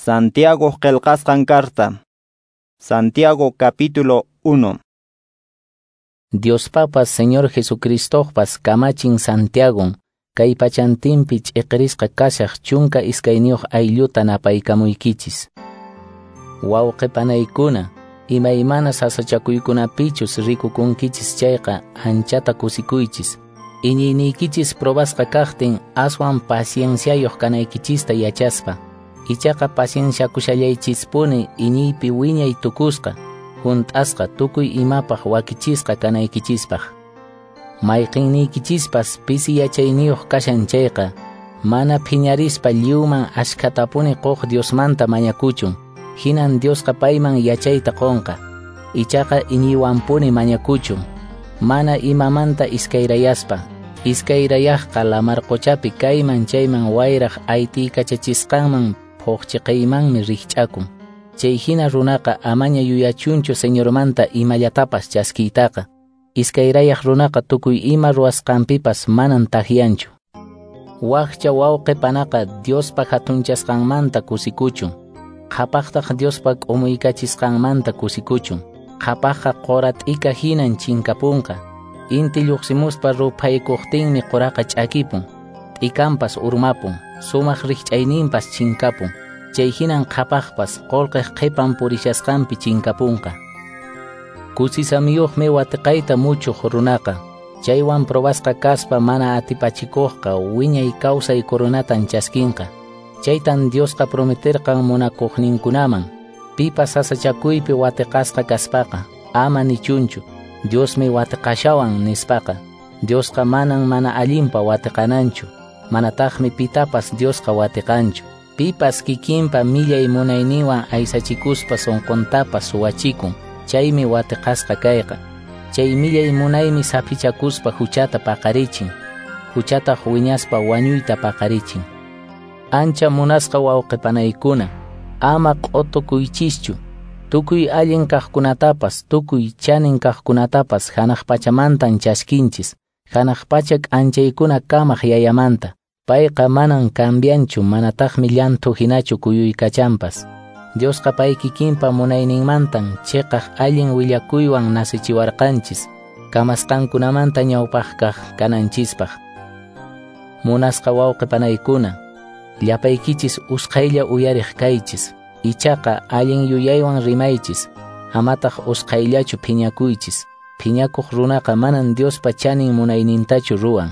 Santiago qillqasqan carta. Santiago capítulo 1. Diospapas Señor Jesucristopas kamachin Santiagon, kay pachantinpi ch'iqirisqa kashaq 12 aylluta napaykamuykichis. Wawqi panaykuna, imaymana sasachakuykunapichus rikukunkichis chayqa anchata kusikuychis. Iñiyniykichis probasqa kaqtin aswan pacienciayuq kanaykichista yachaspa. Ichaqa pacienciakushallaychispuni iñiypi wiñay tukusqa, hunt'asqa tukuy imapaq wakichisqa kanaykichispaq. Mayqinniykichispas pisi yachayniyuq kashan chayqa, mana phiñarispa lliwman ashkhatapuni quq Diosmanta mañakuchun, hinan Diosqa payman yachayta qunqa. Ichaqa iñiywanpuni mañakuchun, mana imamanta iskayrayaspa. Iskayrayaqqa lamar quchapi kayman chayman wayraq aytiykachachisqanman phuqchiqaymanmi rikch'akun. Chay hina runaqa amaña yuyachunchu Señormanta imallatapas chaskiytaqa. Iskayrayaq runaqa tukuy ima ruwasqanpipas manan takyanchu. Wakcha wawqi panaqa Diospa hatunchasqanmanta kusikuchun. Qhapaqtaq Diospa k'umuykachisqanmanta kusikuchun. Qhapaqqa qura t'ika hinan chinkapunqa. Inti lluqsimuspa ruphaykuqtinmi quraqa ch'akipun. T'ikanpas urmapun, sumaq rikch'ayninpas chinkapun. Chay hinan qhapaqpas qullqiq qhipan purishasqanpi chinkapunqa. Kusisamiyuqmi watiqayta muchuq runaqa. Chaywan probasqa kaspa mana atipachikuqqa wiñay kawsay coronatan chaskinqa. Chaytan Diosqa prometerqan munakuqninkunaman. Pipas sasachakuypi watiqasqa kaspaqa, ama nichunchu, Diosmi watiqashawan nispaqa. Diosqa manan mana allinpa watiqananchu, manataqmi pitapas Diosqa watiqanchu. Pipas kikinpa millay munayninwan aysachikuspa sunquntapas suwachikun, chaymi watiqasqa kayqa. Chay millay munaymi saphichakuspa huchata paqarichin, huchataq wiñaspa wañuyta paqarichin. Ancha munasqa wawqipanaykuna, ama q'utukuychischu. Tukuy allin kaqkunatapas, tukuy chanin kaqkunatapas hanaq pachamantan chaskinchis, hanaq pacha k'anchaykuna kamaq yayamanta. Payqa manan cambianchu, manataqmi llanthu hinachu kuyuykachanpas. Diosqa pay kikinpa munayninmantan chiqaq allin willakuywan nasichiwarqanchis, kamasqankunamanta ñawpaqkaq kananchispaq. Munasqa wawqi panaykuna, llapaykichis usqhaylla uyariq kaychis. Ichaqa allin yuyaywan rimaychis, amataq usqhayllachu phiñakuychis. Phiñakuq runaqa manan Diospa chanin munaynintachu ruwan.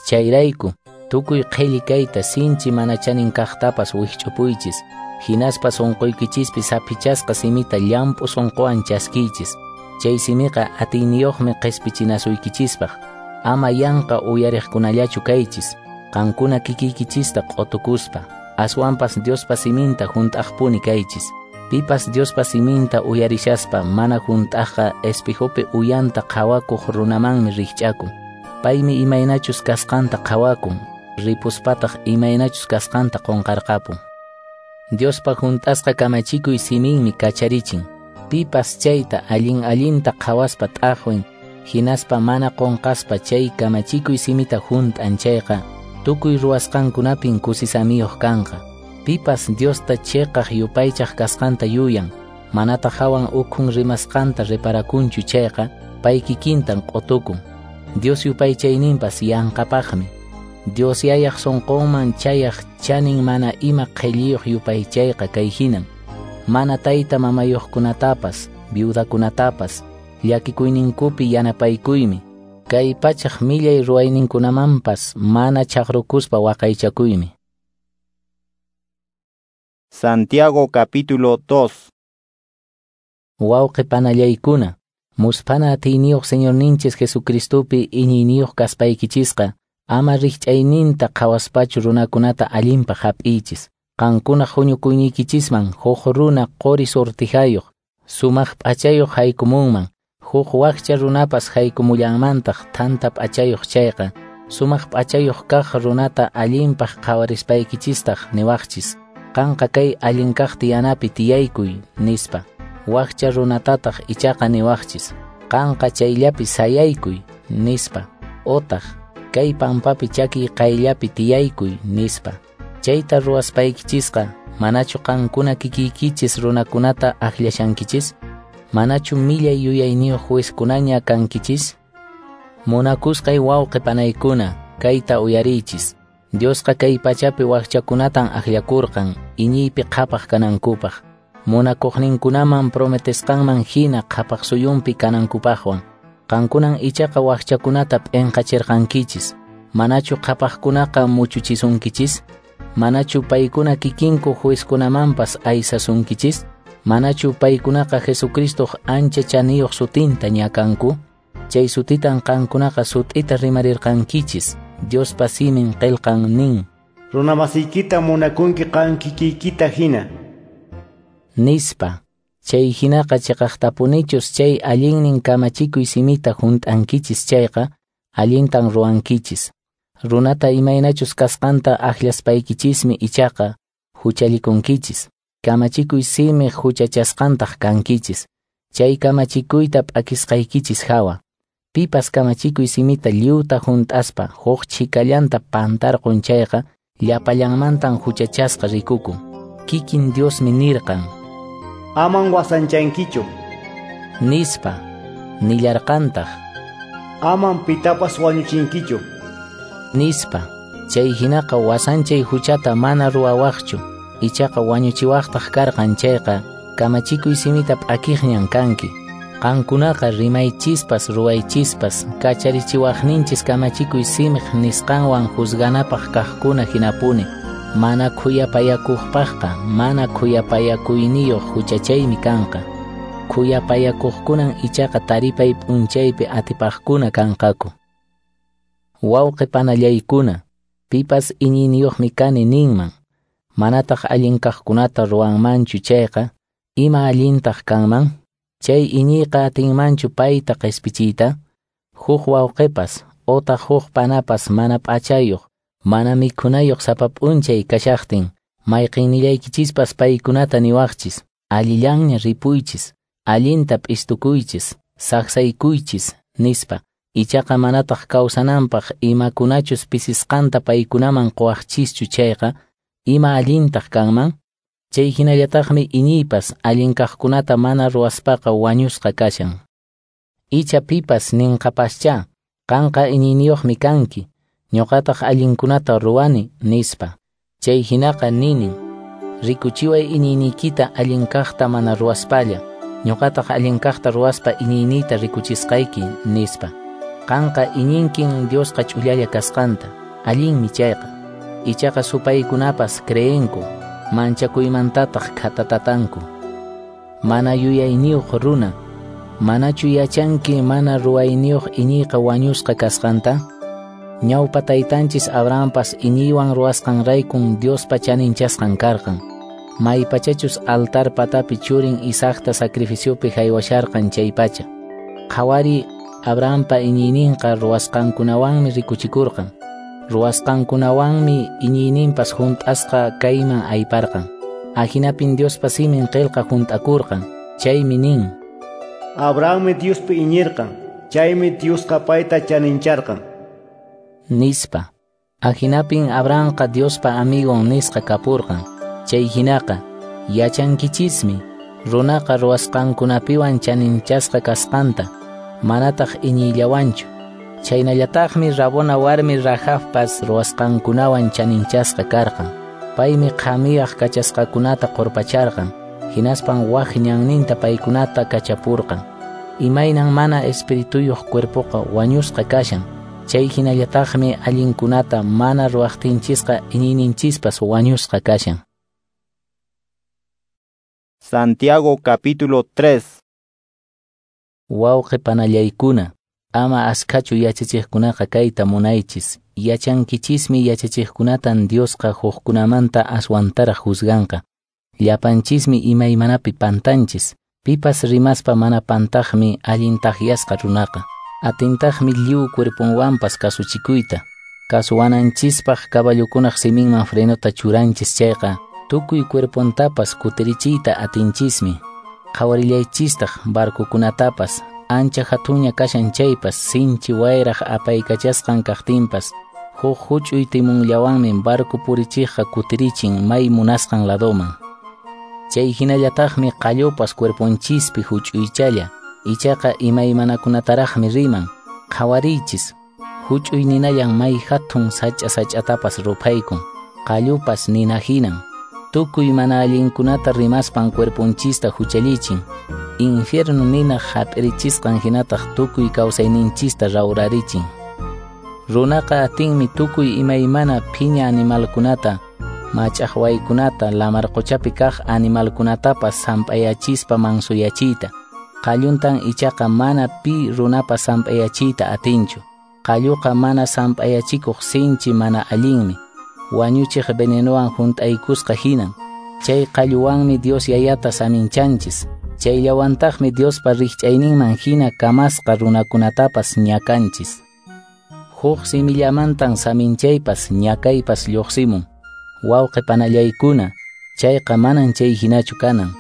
Chayrayku, tukuy qhilli kayta sinchi mana chanin kaqtapas wikch'upuychis, hinaspa sunquykichispi saphichasqa simita llamp'u sunquwan chaskiychis. Chay simiqa atiyniyuqmi qispichinasuykichispaq. Ama yanqa uyariqkunallachu kaychis, qankuna kikiykichista q'utukuspa. Aswanpas Diospa siminta hunt'aqpuni kaychis. Pipas Diospa siminta uyarishaspa mana hunt'aqqa espejopi uyanta qhawakuq runamanmi rikch'akun. Paymi imaynachus kasqanta qhawakun, ripuspataq imaynachus kasqanta qunqarqapun. Diospa hunt'asqa kamachikuy siminmi kacharichin. Pipas chayta allin allinta qhawaspa t'aqwin, hinaspa mana qunqaspa chay kamachikuy simita hunt'an chayqa, tukuy ruwasqankunapin kusisamiyuq kanqa. Pipas Diosta chiqaq yupaychaq kasqanta yuyan, manataq hawan ukhun rimasqanta reparakunchu chayqa, pay kikintan q'utukun. Dios yupaychayninpas yanqapaqmi. Dios yayaq sunqunman chayaq chanin mana ima qhilliyuq yupaychayqa kay hinan. Mana tayta mamayuqkunatapas, viudakunatapas, llakikuyninkupi yanapaykuymi. Kay pachaq millay ruwayninkunamanpas mana chaqrukuspa waqaychakuymi. Santiago capítulo 2. Wawqi panallaykuna, musphana atiyniyuq Señorninchis Jesucristopi iñiyniyuq kaspaykichisqa, ama rikch'ayninta qhawaspachu runakunata allinpaq hap'iychis. Qankunaq huñukuyniykichisman huk runa quri sortijayuq, sumaq p'achayuq haykumunman, huk wakcha runapas haykumullanmantaq thanta p'achayuq chayqa, sumaq p'achayuq kaq runata allinpaq qhawarispaykichistaj niwaqchis, qanqa kay allin kaq tiyanapi tiyaykuy, nispa. Wakcha runatataq ichaqa niwaqchis, qanqa chayllapi sayaykuy, nispa. Otaq, kay pampapi chakiy qayllapi tiyaykuy, nispa. Chayta ruwaspaykichisqa Manachu qankuna kikiykichis runakunata akllashankichis? Manachu millay yuyayniyuq juezkunaña kankichis? Munakusqay wawqi panaykuna, kayta uyariychis. Diosqa kay pachapi wakchakunatan akllakurqan iñiypi qhapaq kanankupaq, munakuqninkunaman prometesqanman hina qhapaq suyunpi kanankupaqwan. Qankunan ichaqa wakchakunata p'inqachirqankichis. Manachu qhapaqkunaqa muchuchisunkichis? Manachu paykuna kikinku juezkunamanpas aysasunkichis? Manachu paykunaqa Jesucristoq ancha chaniyuq sutinta ñakanku? Chay sutitan qankunaqa sut'ita rimarirqankichis. Diospa simin qillqan nin: Runamasiykita munakunki qan kikiykita hina. Nispa. Chay hinaqa chiqaqtapunichus chay allinnin kamachikuy simita hunt'ankichis chayqa, allintan ruwankichis. Runata imaynachus kasqanta akllashpaykichismi ichaqa huchallikunkichis. Kamachikuy simi huchachasqantaq kankichis. Chay kamachikuyta p'akisqaykichis hawa. Pipas kamachikuy simita lliwta hunt'aspa huk chhikallanta pantarqun chayqa, llapallanmantan huchachasqa rikukun. Kikin Diosmi nirqan: Aman wasanchankichu, nispa. Nillarqantaq: Aman pitapas wañuchinkichu, nispa. Chay hinaqa wasanchay huchata mana ruwawaqchu, ichaqa wañuchiwaqtaq karqan chayqa, kamachikuy simita p'akiqñan kanki. Qankunaqa rimaychispas ruwaychispas kacharichiwaqninchis kamachikuy simiq nisqanwan juzganapaq kaqkuna hinapuni. Mana khuyapayakuqpaqqa mana khuyapayakuyniyuq huchachaymi kanqa. Khuyapayakuqkunan ichaqa taripay p'unchaypi atipaqkuna kanqaku. Wawqi panallaykuna, pipas iñiyniyuqmi kani ninman, manataq allin kaqkunata ruwanmanchu chayqa, ima allintaq kanman? Chay iñiyqa atinmanchu payta qispichiyta? Huk wawqipas otaq huk panapas mana p'achayuq, mana mikhunayuq sapa p'unchay kashaqtin, mayqinnillaykichispas paykunata niwaqchis: allillanña ripuychis, allinta p'istukuychis, saqsaykuychis, nispa. Ichaqa manataq kawsananpaq imakunachus pisisqanta paykunaman quwaqchischu chayqa, ima allintaq kanman? Chay hinallataqmi iñiypas allin kaqkunata mana ruwaspaqa wañusqa kashan. Icha pipas ninqapaschá: qanqa iñiyniyuqmi kanki, ñuqataq allinkunata ruwani, nispa. Chay hinaqa ninin: rikuchiway iñiyniykita allin kaqta mana ruwaspalla, ñuqataq allin kaqta ruwaspa iñiyniyta rikuchisqayki, nispa. Qanqa iñinkin Diosqa ch'ullalla kasqanta, allinmi chayqa. Ichaqa supaykunapas creenku, manchakuymantataq khatatatanku. Mana yuyayniyuq runa, manachu yachanki mana ruwayniyuq iñiyqa wañusqa kasqanta? Ñawpa taytanchis Abrahampas iñiywan ruwasqanraykun Diospa chaninchasqan karqan. Maypachachus altar patapi churin Isaacta sacrificiopi haywasharqan chaypacha. Qhawari Abrahampa iñiyninqa ruwasqankunawanmi rikuchikurqan. Ruwasqankunawanmi iñiyninpas hunt'asqa kayman ayparqan. Ahinapin Diospa simin qillqa hunt'akurqan. Chaymi nin: Abrahammi Diospi iñirqan, chaymi Diosqa payta chanincharqan, nispa. Ahinapin Abrahamqa Diospa amigon nisqa kapurqan. Chay hinaqa yachankichismi runaqa ruwasqankunapiwan chaninchasqa kasqanta, manataq iñiyllawanchu. Chaynallataqmi rabona warmi Rahabpas ruwasqankunawan chaninchasqa karqan. Paymi qhamiyaq kachasqakunata qurpacharqan, hinaspan wak ñanninta paykunata kachapurqan. Imaynan mana espirituyuq cuerpoqa wañusqa kashan, chay hinallataqmi allinkunata mana ruwaqtinchisqa iñiyninchispas wañusqa kashan. Santiago capítulo 3. Wawqi panallaykuna, ama askhachu yachachiqkunaqa kayta munaychis. Yachankichismi yachachiqkunatan Diosqa hukkunamanta aswantaraq juzganqa. Llapanchismi imaymanapi pantanchis. Pipas rimaspa mana pantaqmi allin takyasqa runaqa. Atintaqmi lliw cuerponwanpas kasuchikuyta. Kasuwananchispaq caballokunaq siminman frenota churanchis chayqa, tukuy cuerpontapas kutirichiyta atinchismi. Qhawarillaychistaq barcokunatapas, ancha hatunña kashan chaypas, sinchi wayraq apaykachasqan kaqtinpas, Huk huch'uy timunllawanmi barco purichiqqa kutirichin may munasqan ladoman. Chay hinallataqmi qallupas cuerponchispi huch'uychalla, ichaqa imaymanakunataraqmi riman. Qhawariychis, huch'uy ninallan may hatun sach'a sach'atapas ruphaykun, qallupas nina hinan. Tukuy mana allinkunata rimaspan cuerponchista huchallichin. Infierno nina hap'irichisqan hinataq tukuy kawsayninchista rawrarichin. Runaqa atinmi tukuy imaymana phiña animalkunata, mach'aqwaykunata, lamar quchapi kaq animalkunatapas samp'ayachispa mansuyachiyta. Qalluntan ichaqa mana pi runapas samp'ayachiyta atinchu. Qalluqa mana samp'ayachikuq sinchi mana allinmi. Wañuchiq venenowan hunt'aykusqa hinan. Chay qalluwanmi Dios yayata saminchanchis. Chayllawantaqmi Diospa rikch'ayninman hina kamasqa runakunatapas ñakanchis. Huk simillamantan saminchaypas ñakaypas lluqsimun. Wawqi panallaykuna, chayqa manan chay hinachu kanan.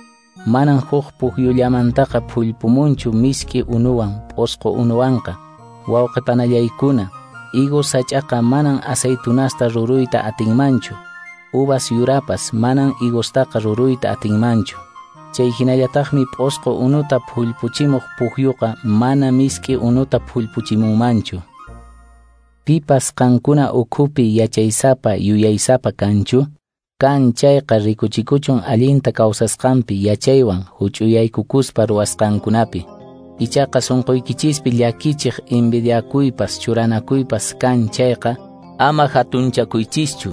Manan huk pukyullamantaqa phullpumunchu misk'i unuwan p'usqu unuwanqa. Wawqi panallaykuna, higos sach'aqa manan aceitunasta ruruyta atinmanchu. Uvas yurapas manan higostaqa ruruyta atinmanchu. Chay hinallataqmi p'usqu unuta phullpuchimuq pukyuqa mana misk'i unuta phullpuchimunmanchu. Pipas qankuna ukhupi yachaysapa yuyaysapa kanchu? Kan chayqa rikuchikuchun allinta kawsasqanpi yachaywan huch'uyaykukuspa ruwasqankunapi. Ichaqa sunquykichispi llakichiq envidiakuypas churanakuypas kan chayqa ama hatunchakuychischu.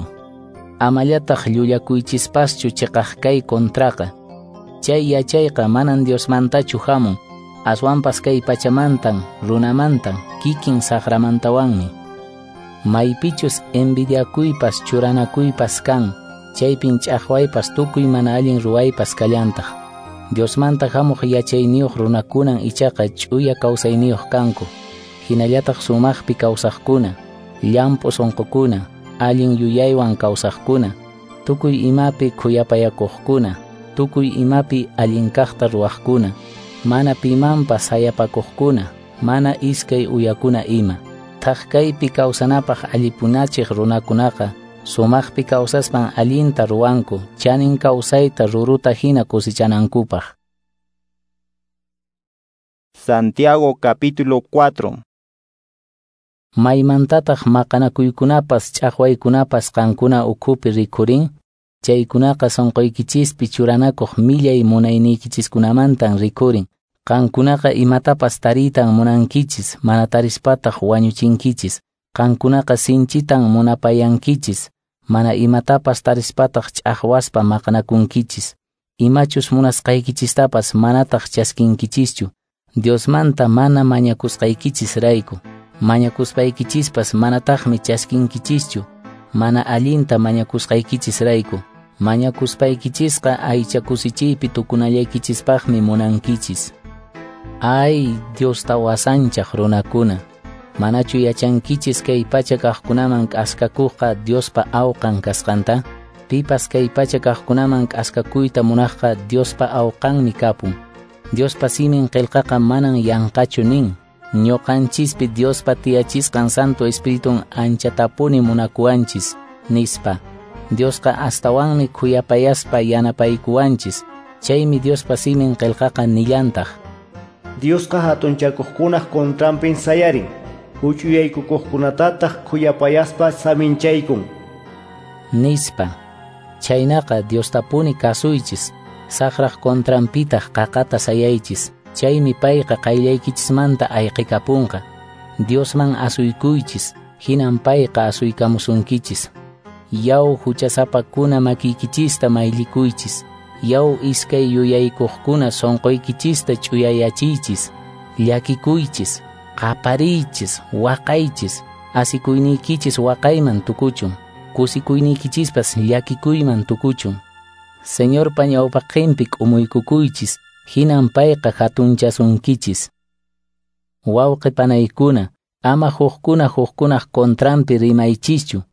Amallataq llullakuychispaschu chiqaq kay contraqa. Chay yachayqa manan Diosmantachu hamun, aswanpas kay pachamantan, runamantan, kikin saqramantawanmi. Maypichus envidiakuypas churanakuypas kan, chaypin ch'aqwaypas tukuy mana allin ruwaypas kallantaq. Diosmanta hamuq yachayniyuq runakunan ichaqa ch'uya kawsayniyuq kanku, hinallataq sumaqpi kawsaqkuna, llamp'u sunqukuna, allin yuyaywan kawsaqkuna, tukuy imapi khuyapayakuqkuna, tukuy imapi allin kaqta ruwaqkuna, mana pimanpas sayapakuqkuna, mana iskay uyakuna ima. Thaq kaypi kawsanapaq allipunachiq runakunaqa sumaqpi kawsaspan allinta ruwanku, chanin kawsayta ruruta hina kusichanankupaq. Santiago capítulo 4. Maymantataq maqanakuykunapas ch'aqwaykunapas qankuna ukhupi rikhurin? Chaykunaqa sunquykichispi churanakuq millay munayniykichikunamantan rikhurin. Qankunaqa imatapas tariytan munankichis, mana tarispataq wañuchinkichis. Qankunaqa sinchitan munapayankichis, mana imatapas tarispataq ch'aqwaspa maqanakunkichis. Imachus munasqaykichistapas manataq chaskinkichischu, Diosmanta mana mañakusqaykichisrayku. Mañakuspaykichispas manataqmi chaskinkichischu, mana allinta mañakusqaykichisrayku. Mañakuspaykichisqa aycha kusichiypi tukunallaykichispaqmi munankichis. Ay, Diosta wasanchaq runakuna, manachu yachankichis kay pacha kaqkunaman k'askakuqqa Diospa awqan kasqanta? Pipas kay pacha kaqkunaman k'askakuyta munaqqa Diospa awqanmi kapun. Diospa simin qillqaqa manan yanqachu nin. Ñuqanchispi Diospa tiyachisqan Santo Espiritun anchatapuni munakuwanchis, nispa. Diosqa astawanmi khuyapayaspa yanapaykuwanchis. Chaymi Diospa simin qillqaqa nillantaq. Diosqa hatunchakuqkunaq contranpin sayarin, huch'uyaykukuqkunatataq khuyapayaspa saminchaykun, nispa. Chaynaqa Diostapuni kasuychis, saqraq contranpitaq qaqata sayaychis. Chaymi payqa qayllaykichismanta ayqikapunqa. Diosman asuykuychis, hinan payqa asuykamusunkichis. Yaw huchasapakuna makiykichista mayllikuychis. Yaw iskay yuyaykuqkuna sunquykichista ch'uyayachiychis. Llakikuychis, qapariychis, waqaychis, asikuyniykichis waqayman tukuchun, kusikuyniykichispas llakikuyman tukuchun. Señorpa ñawpaqinpi k'umuykukuychis, hinan payqa hatunchasunkichis. Wawqi panaykuna, ama hukkuna hukkunaq contranpi rimaychischu.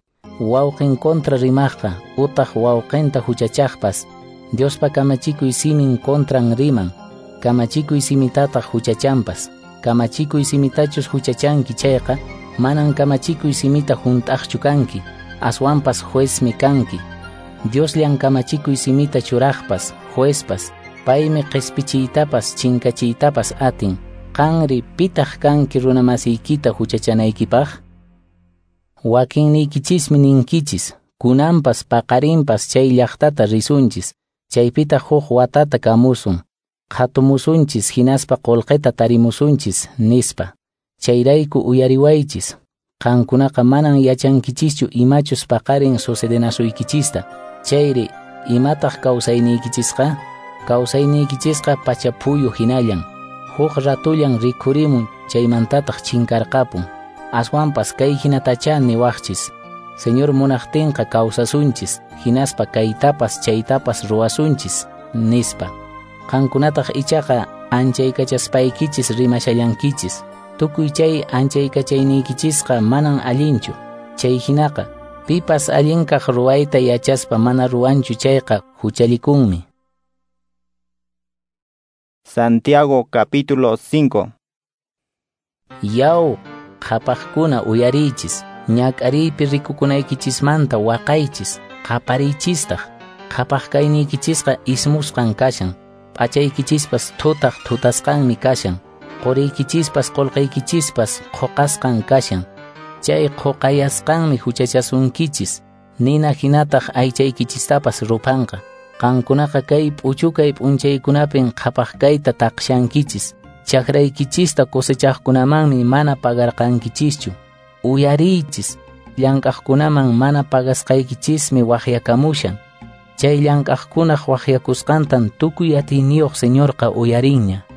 Wawqin contra rimaqqa utaq wawqinta huchachaqpas, Diospa kamachikuy simin contran riman, kamachikuy simitataq huchachanpas. Kamachikuy simitachus huchachanki chayqa, Manan kamachikuy simita hunt'aqchu kanki, aswanpas juezmi kanki. Diosllan kamachikuy simita churaqpas, juezpas, paymi qhispichiytapas chinkachiytapas atin. Qanri pitaq kanki runamasiykita huchachanaykipaq? Wakinniykichismi ninkichis, kunanpas paqarinpas chay llaqtata risunchis, chaypitaq huk watata kamusun, qhatumusunchis hinaspa qullqita tarimusunchis, nispa. Chayrayku uyariwaychis. Qankunaqa manan yachankichischu imachus paqarin sucedenasuykichista. Chayri, imataq kawsayniykichisqa? Kawsayniykichisqa pachaphuyu hinallan. Huk ratullan rikhurimun, chaymantataq chinkarqapun. Aswanpas kay hinatachá niwaqchis. Señor munaqtinqa kawsasunchis, hinaspa kaytapas chaytapas ruwasunchis, nispa. Qankunataq ichaqa anchaykachaspaykichis rimashallankichis. Tukuy chay anchaykachayniykichishqa manan allinchu. Chay hinaqa, pipas allinkaq ruwayta yachaspa mana ruwanchu chayqa huchallikunmi. Santiago capítulo 5. Yaw, qhapaqkuna uyariychis, ñak'ariypi rikukunaykichismanta waqaychis, qapariychistaq. Qhapaq kayniykichisqa ismusqan kashan, p'achaykichispas thutaq thutasqanmi kashan, quriykichispas qullqiykichispas qhuqasqan kashan. Chay qhuqayasqanmi huchachasunkichis, nina hinataq aychaykichistapas ruphanqa. Qankunaqa kay p'uchukay p'unchaykunapin qhapaq kayta taqshankichis, chakraykichista cosechaqkunamanmi mana pagarqankichischu. Uyariychis, llank'aqkunaman mana pagasqaykichismi waqyakamushan. Chay llank'aqkunaq waqyakusqantan tukuy atiyniyuq Señorqa uyarinña.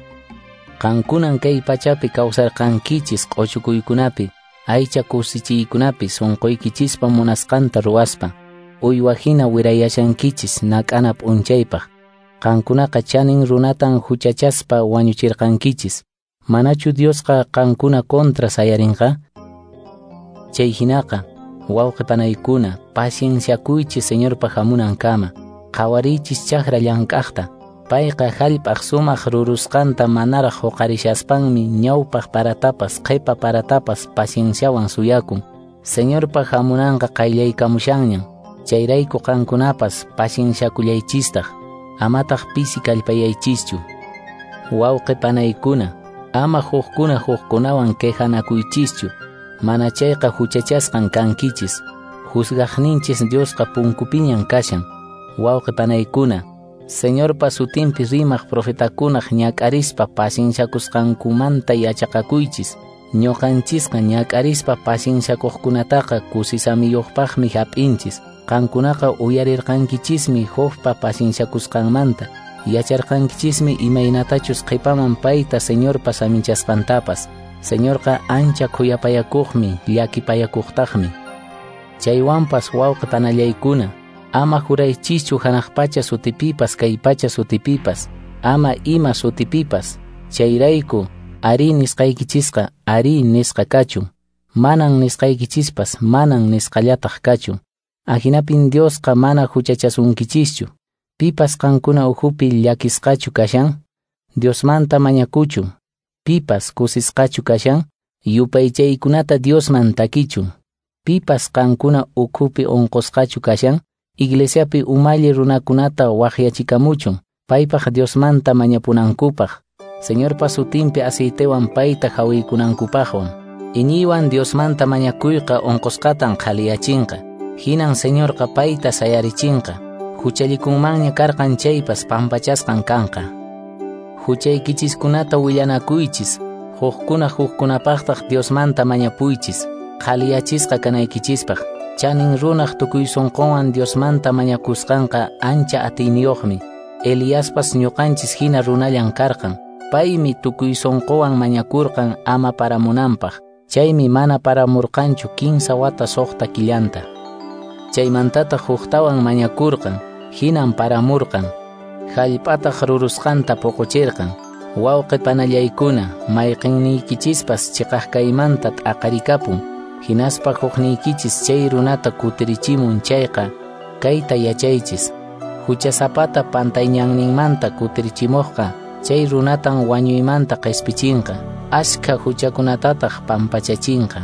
Qankunan kay pachapi kawsarqankichis q'uchukuykunapi, aycha kusichiykunapi sunquykichispa munasqanta ruwaspa. Uywa hina wirayashankichis nak'ana p'unchaypaq. Qankunaqa chanin runatan huchachaspa wañuchirqankichis. Manachu Diosqa qankuna contra sayarinqa? Chay hinaqa, wawqi panaykuna, pacienciakuychis Señorpa hamunankama. Qhawariychis chakra llank'aqta. Payqa hallp'aq sumaq rurusqanta manaraq huqarishaspanmi ñawpaq paratapas qhipa paratapas pacienciawan suyakun. Señorpa hamunanqa qayllaykamushanñan. Chayrayku qankunapas pacienciakullaychistaq, amataq pisi kallpayaychischu. Wawqi panaykuna, ama hukkuna hukkunawan quejanakuychischu, mana chayqa huchachasqan kankichis. Juzgaqninchis Diosqa punkupiñan kashan. Wawqi panaykuna, Señorpa sutinpi rimaq profetakunaq ñak'arispa pacienciakusqankumanta yachaqakuychis. Ñuqanchisqa ñak'arispa pacienciakuqkunataqa kusisamiyuqpaqmi hap'inchis. Qankunaqa uyarirqankichismi Jobpa pacienciakusqanmanta, yacharqankichismi imaynatachus qhipaman payta Señorpa saminchasqantapas. Señorqa ancha khuyapayakuqmi, llakipayakuqtaqmi. Chaywanpas wawqi panallaykuna, ama juraychischu hanaq pacha sutipipas kay pacha sutipipas, ama ima sutipipas. Chayrayku, arí nisqaykichisqa arí nisqa kachun, manan nisqaykichispas manan nisqallataq kachun. Ahinapin Diosqa mana huchachasunkichischu. Pipas qankuna ukhupi llakisqachu kashan, Diosmanta mañakuchun. Pipas kusisqachu kashan, yupaychaykunata Diosman takichun. Pipas qankuna ukhupi unqusqachu kashan, iglesiapi umalli runakunata waqyachikamuchun, paypaq Diosmanta mañapunankupaq, Señorpa sutinpi aceitewan payta hawiykunankupaqwan. Iñiywan Diosmanta mañakuyqa unqusqatan qhaliyachinqa. Hinan Señorqa payta sayarichinqa. Huchallikunmanña karqan chaypas pampachasqan kanqa. Huchaykichiskunata willanakuychis, hukkuna hukkunapaqtaq Diosmanta mañapuychis, qhaliyachisqa kanaykichispaq. Chanin runaq tukuy sunqunwan Diosmanta mañakusqanqa ancha atiyniyuqmi. Eliaspas ñuqanchis hina runallan karqan. Paymi tukuy sunquwan mañakurqan ama paramunanpaq. Chaymi mana paramurqanchu 15 wata 6 killanta. Chaymantataq huktawan mañakurqan, hinan paramurqan. Hallp'ataq rurusqanta puquchirqan. Wawqi panallaykuna, mayqinniykichispas chiqaq kaymanta t'aqarikapun, hinaspa hukniykichis chay runata kutirichimun chayqa, kayta yachaychis. Huchasapata pantayñanninmanta kutirichimuqqa, chay runatan wañuymanta qispichinqa, ashkha huchakunatataq pampachachinqa.